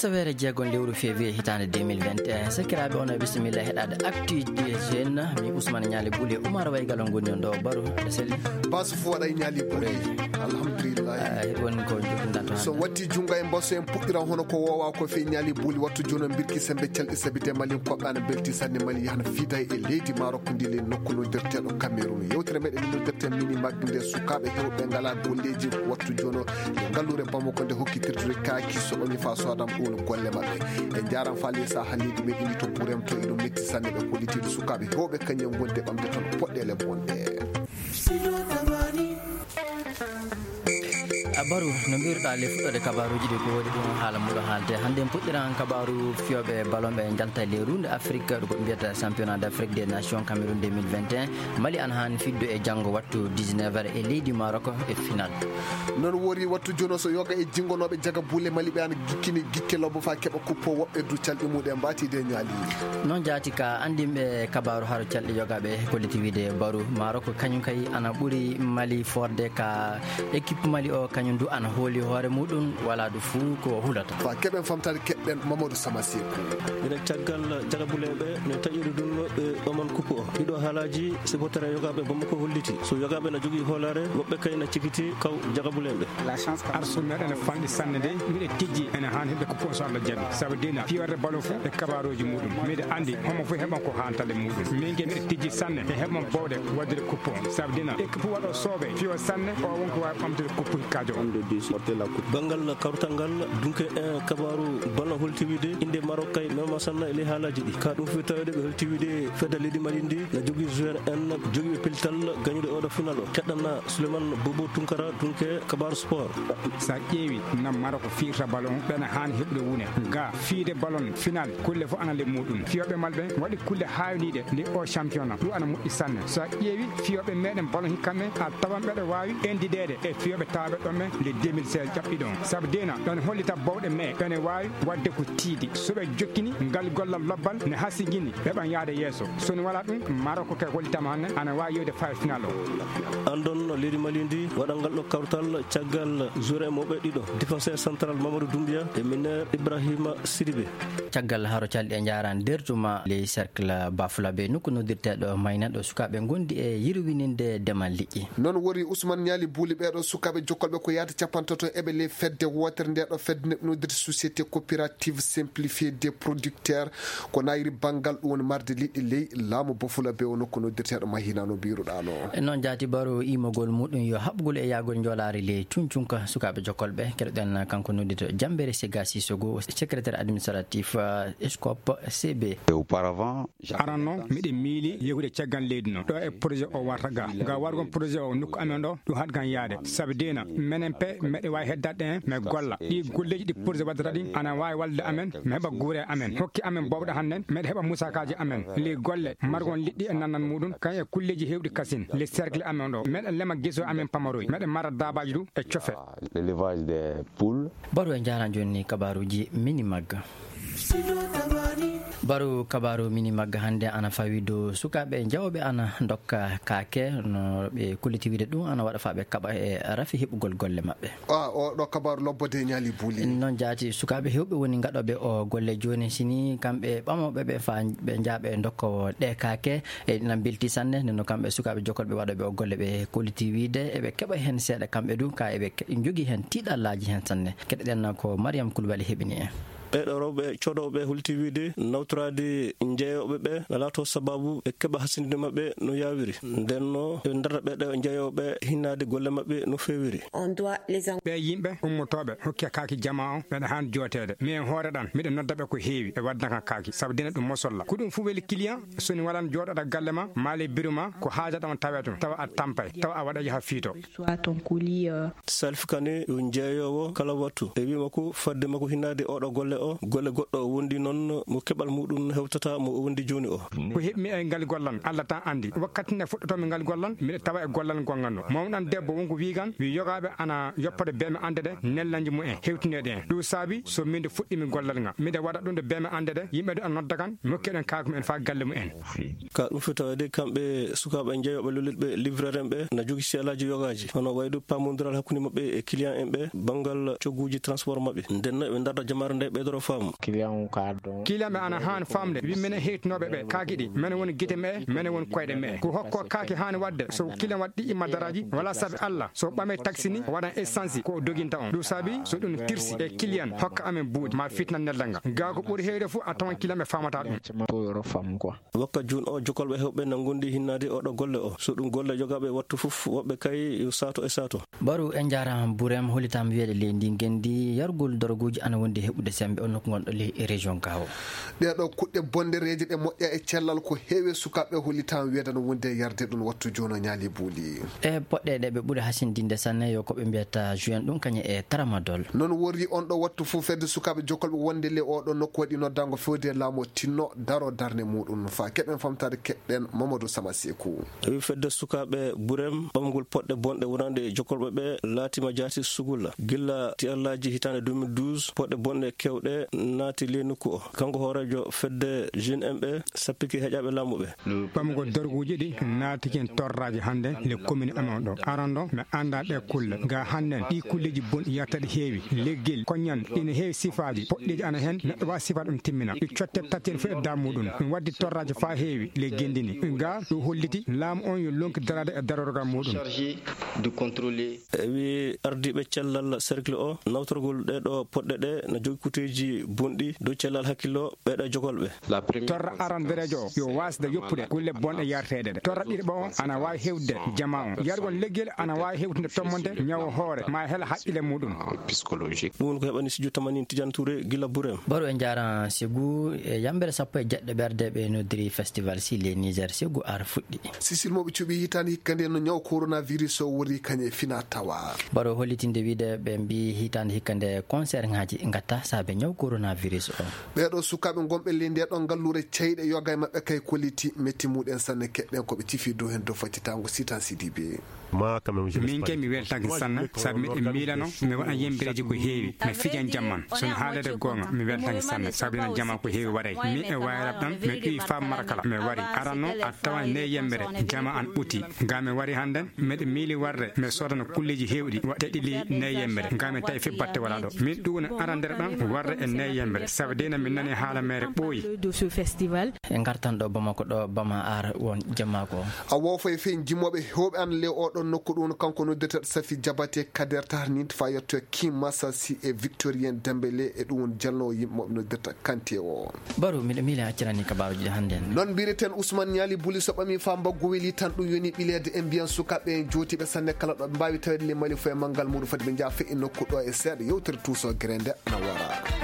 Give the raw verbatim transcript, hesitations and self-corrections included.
Sawere jeegon lewru février hitaande deux mille vingt et un. Sakiraaɓe, on e bisimilla heɗaade Actu des Jeunes. Mi Ousmane Ñaali Buli, Oumar Waygal on ngoni on ɗo, Baro, aɗa selli? Basu fof waɗa e Ñaali Buli. Alhamdulillah. Ah, heɗi woni ko jokkinɗa to so hannde. Watti junngo e mboso en puɗɗira hono ko wowa ko fe Ñaali Buli wattu jono mbirki sembe calɗi sabide Mali koɓɓe ana belti sanne Mali yahna fiida e leydi Maroc ndi le nokku noddirteɗo Cameroun. Yewtere meɗen noddirte mini magde nde sukaaɓe hewɓe ngala golleji wattu jono e ngalluure Bamako nde hokkitirdude kaaki so ɓami fa soodam ɗum golle maɓɓe. En njaram fa ley saha leydi men indi to Burem to eɗum metti sanne ɓe kollitiiɗo sukaaɓe hewɓe kañum wonde ɓamde toon poɗɗele bonɗe. A Baru, no mbiruɗaa le fuɗɗoode kabaaruuji ɗi ko woodi ɗum haala muɗo haalte. Hannde en puɗɗiran kabaaru fiyooɓe ballon ɓe njalta le runde Afrique, ɗo ko mbiyata championnat d'Afrique des nations Cameroun deux mille vingt et un. Mali ana haani fiddu e janngo wattu dix-neuf heures e leydi Maroc e final. Noon wori wattu jono so yoga e jingonooɓe jaga buule Mali ɓe ana gikkini gikke lobbo fa keɓa kuppo woɓɓe du calɗi muɗe mbaati de Ñaali. Noon jaati ka anndinɓe kabaaru haro calɗi yogaaɓe kolliti wiide Baru Maroc kañum kay ana ɓuri Mali forde ka équipe Mali o kañum du ana hooli hoore muɗum wala du fuu ko hulata. Fa keɓen famtade keɓɗen Mamadou Sama Seku. Ene caggal jagabuleeɓe no taƴiri ɗum ɓe ɓaman kuppo o. Ɗiɗo haalaaji supporter e yogaaɓe Bamako holliti. So yogaaɓe na jogii hoolaare, woɓɓe kay na cikiti kaw jagabuleeɓe. Arsu meɗen e fanɗi sanne de, miɗe tijji ene haan heɓde kuppo o so Allah jaɓi. Sabu dina fiyorde ballon fof e kabaaruuji muɗum. Miɗe anndi homo fof heɓan ko haantale muɗum. Min ke miɗe tijji sanne e heɓan bowɗe waɗde kuppo o. Sabu dina équipe waɗo sooɓe fiyo sanne o won ko waawi ɓamtude kuppo hikkajo o. Banngal kawtal ngal, dunke en kabaaru ballon holti wiide innde Maroc kay mema sanna e ley haalaaji ɗi. Ka ɗum fi taweede ɓe holti wiide fedde leydi Mali ndi na jogii joueur en jogiiɓe pellital gañude oɗo final o. Keɗɗana Souleymane Bobo Tunkara, dunke kabaaru sport. Sa ƴeewi no Maroc fiyirta ballon, ɓena haani heɓude wune. Ga fiyde ballon final, kulle fof ana le muɗum. Fiyooɓe maɓɓe waɗi kulle haawniiɗe le o championnat. Ɗum ana moƴƴi sanne. So a ƴeewi fiyooɓe meɗen ballon hikka men, a tawan ɓeɗo waawi endideede e fiyooɓe tawaaɓe ɗon men le deux mille seize ƴaɓɓiɗo on. Sabu dena ɗon hollita bowɗe me ɓene waawi waɗde ko tiiɗi. So ɓe jokkini ngal gollal lobbal ne hasigini ɓe ɓan yahde yeeso. So ni wala ɗum, Maroc kay hollitama hannde ana waawi yewde fayre final o. Andon leydi Mali ndi waɗa ngal ɗo kawtal caggal joueur e mawɓe ɗiɗo, défenseur central Mamadou Doumbia e meneur Ibrahima Sidibé. Caggal haro calɗi e njaran dertuma ley cercle Bafulabe, nokku noddirteɗo Mayna ɗo sukaaɓe gondi e yirwininde demal liƴƴi. Noon wori Ousmane Ñaali Buuli ɓeeɗo sukaaɓe jokkolɓe ko yahata capantato eɓe ley fedde wootere nde ɗo fedde noddirte société coopérative simplifiée des producteurs ko nayri banngal ɗum woni marde liɗɗi ley laamu Bafulabe o nokku noddirteɗo Mahina no mbiruɗano. E noon jaati baro imogol muɗum yo haɓgol e yahgol njoolaari ley cuncunka sukaaɓe jokkolɓe. Keɗoɗen kanko noddito Jambere Sega Sissoko, secrétaire administratif, euh, scope C B. Et auparavant, aranno miɗen miili yehude caggal leydi no ɗo e projet o warta ga ga wargon projet o nokku amen ɗo ɗum haɗgan yaade. Sabi dina menen pe meɗe wawi heddade en mi golla ɗi golleji ɗi projet waddata ɗin ana wawi wallude amen mi heɓa guure amen hokki amen bowɗe hannden meɗe heɓa musakaji amen ley golle margon liɗɗi e nannan muɗum kan e kulleji hewɗi kasin ley cercle amen ɗo meɗe lema geso amen pamaroy meɗe mara dabaji du e cofe. L'élevage des poules. Baro e jaran joni ni kabaruji mini magga. Baro kabaru mini magga hannde ana fawi dow sukaaɓe jawɓe ana ndokka kaake no ɓe kulliti wiide ɗum ana waɗa fa ɓe kaɓa e rafi heɓugol golle maɓɓe. A o ɗo kabaru lobbode ñaali buuli. Noon jaati sukaaɓe hewɓe woni gaɗoɓe o golle joni sini kamɓe ɓamoɓe ɓe fa ɓe jaaɓe ndokkowo ɗe kaake e ɗina belti sanne nde no kamɓe sukaaɓe jokkolɓe waɗoɓe o golle ɓe kolliti wiide eɓe keɓa heen seeɗa kamɓe du ka eɓe ke- jogii heen tiiɗallaaji heen sanne. Keɗoɗen ko Mariam Koulibaly heɓini en. Ɓeeɗo rewɓe coodooɓe hulti wiide nawtoraade jeyooɓe ɓe na laato sababu ɓe keɓa hasinde maɓɓe no yaawiri. Nden no ɓe darata ɓeeɗo jeyooɓe hinnaade golle maɓɓe no feewiri. Ɓe yimɓe ummotooɓe hokke kaaki jamaa o ɓeɗa haan jooteede. Mi en hoore ɗan miɗo nodda ɓe ko heewi ɓe wadda kan kaaki sabu dina ɗum mosolla. Ko ɗum fuu weli client so ni walan jooɗoɗa galle ma maali biru ma ko haajata on taweto tawa a tampay tawa a waɗa yaha fiito. Soit ton colis, euh, Salif Kane yo jeeyoowo kala wattu e wi makko fadde makko hinnaade oɗo golle o golle goɗɗo o wondi noon mo keɓal muɗum hewtata mo o wondi jooni o. Ko heɓmi e ngal gollan Allah tan anndi wakkati nde fuɗɗotomi ngal gollan miɗo tawa e gollal gonganno mawɗan debbo wonko wiigan wi yogaaɓe ana yoppode beeme annde ɗe nellanji mumen hewtineede en ɗum saabi so min nde fuɗɗimi gollal ngal miɗo waɗa ɗum ɗo beeme annde ɗe yimɓe ɗo ana nodda kan mi hokki eɗen kaaki mumen faa galle mumen. Ka ɗum foti taweede kamɓe sukaaɓe jeyooɓe lolliɗɓe livreur en ɓe na jogii seelaaji yogaaji hono wayde paamondiral hakkunde maɓɓe e client en ɓe banngal cogguuji transport maɓɓe ndenno eɓe ndarda jamaare nde ɓe Kiliyan ɓe ana haani faamde wi menen heytinooɓe ɓe kaaki ɗi, menen woni gite me'e, menen woni koyɗe me'e. Ko hokko kaaki haani waɗde so kiliyan waɗi ɗi imma daraaji wala sabi Alla so ɓame taksi ni waɗan essansi ko o doginta on. Ɗum saabi so ɗum tirsi e kiliyan hokka amen buuɗi ma fitna neldal ngal. Gaa ko ɓuri heyre fof a tawan kiliyan ɓe faamata ɗum. Wokka juun o jokolɓe hewɓe nanngundi hinnaade oɗo golle o. So ɗum golle jogaaɓe wattu fof woɓɓe kay yo saato e saato. Baru en njaaraama Burem hollitam wiyeede leydi ndi ngenndi yargol doroguuji ana wondi heɓude sembe on nokku ngon ɗo ley e région gawo. Ɗee ɗo kuɗɗe bonɗereeje ɗe moƴƴa e cellal ko heewi sukaaɓe hollitam wiyeede no wondi e yarde ɗum wattu jooni o ñaali buuli. E poɗɗe ɗe ɓe ɓuri hasindinde sanne yo ko ɓe mbiyata juin ɗum kañe e tramadol. Noon worri on ɗo wattu fof fedde sukaaɓe jokolɓe wonde le oɗo nokku waɗi noddango fewde laamu o tinno daro darne muɗum fa keɓen famtade keɓɗen Mamadou Sama Seku. Tawi fedde sukaaɓe Burem ɓamgol poɗɗe bonɗe wonande jokolɓe ɓe laatima jaati sugulla. Gilla ti Allaaji hitaande deux mille douze, poɗɗe bonɗe kewɗe naati ley nokku o. Kanko hooreejo fedde Jeune M ɓe sappiki heƴaaɓe laamu ɓe. Ɓamgol dorguuji ɗi naati ken torraaji hannde le commune amen ɗo. Aran ɗo mi annda ɗe kulle. Ga hannden ɗi kulleji bonɗi yarta ɗi heewi. Leggel, koñan, ina heewi sifaaji. Poɗɗeji ana hen, neɗɗo waawi sifa ɗum timmina. Ɗi cotte tatten fof e daamuɗum. Ɗum waddi torraaji faa heewi le gendini. Ga ɗum holliti laamu on yo lonki daraade e darorgal muɗum. Chargé de contrôler. E wi ardiiɓe cellal cercle o, nawtorgol ɗee ɗo poɗɗe ɗe no jogi kuteeji bonɗi dow cellal hakkillo ɓee ɗo jogolɓe. Torra arandereejo o yo waasde yoppude kulle bonɗe yarteeɗe ɗe. Torra ɗiɗaɓo o ana waawi hewtude jama on. Yargol leggel ana waawi hewtude tommonde ñawo hoore ma hela haqqille muɗum. Ɗum woni ko heɓani studio tamanin Tidiane Touré gila Burem. Baru e njaran sigu e yambere sappo e jeɗɗo ɓerde ɓe noddiri festival si le Niger sigu ar fuɗɗi. Sisil mo ɓe cuɓi hitaande hikka nde no ñaw coronavirus o wori kañe fina tawa. Baro hollitinde wiide ɓe mbi hitaande hikka nde concert ngaji ngatta saabe ñaw coronavirus o. Ɓeeɗo sukaaɓe gonɓe ley nde ɗon ngalluure ceyɗe yoga e maɓɓe kay kolliti metti muɗen sanne keɗɗen ko ɓe cifi dow hen dow faccitango sitan sidibe. Min kay mi weltaki sanne sabu miɗen miilano mi waɗan yembireji ko heewi mi fijan jamman sono haalede goonga mi weltaki sanne sabu enen jama ko heewi waɗay min e wayrab ɗam mi ɗuwi faa marakala mi wari aranno a tawan ne yembere jama an ɓuti ga mi wari hannden miɗo miili warde mi sodana kulleji heewɗi waɗde ɗiɗi ne yembere ga mi tawi fi batte wala ɗo min ɗum woni arandere ɗam warde e ne yembere sabu dina min nani haala mere ɓooyi. E ngartan ɗo bamako ɗo bama ar won jamako. A wofay fe jimoɓe hewɓe an le oɗon nokku ɗum kanko noddirta safi jabate kader tahr nint fa yetto kim masasi e victorien dembele e ɗum won jalnowo yimɓe moɓe noddirta kante o. Baru miɗo miila accirani kabaruji ɗi hannde en. Noon mbireten ousmane ñaali buli so ɓami fa mbaggu weli tan ɗum yoni ɓileede e mbiyan sukaɓe en jootiɓe sanne kala ɗo ɓe mbawi tawede le mali fo e manngal muɗum foti ɓe jaa fe e nokku ɗo e seeɗa yewtere tuuso grende ana wara.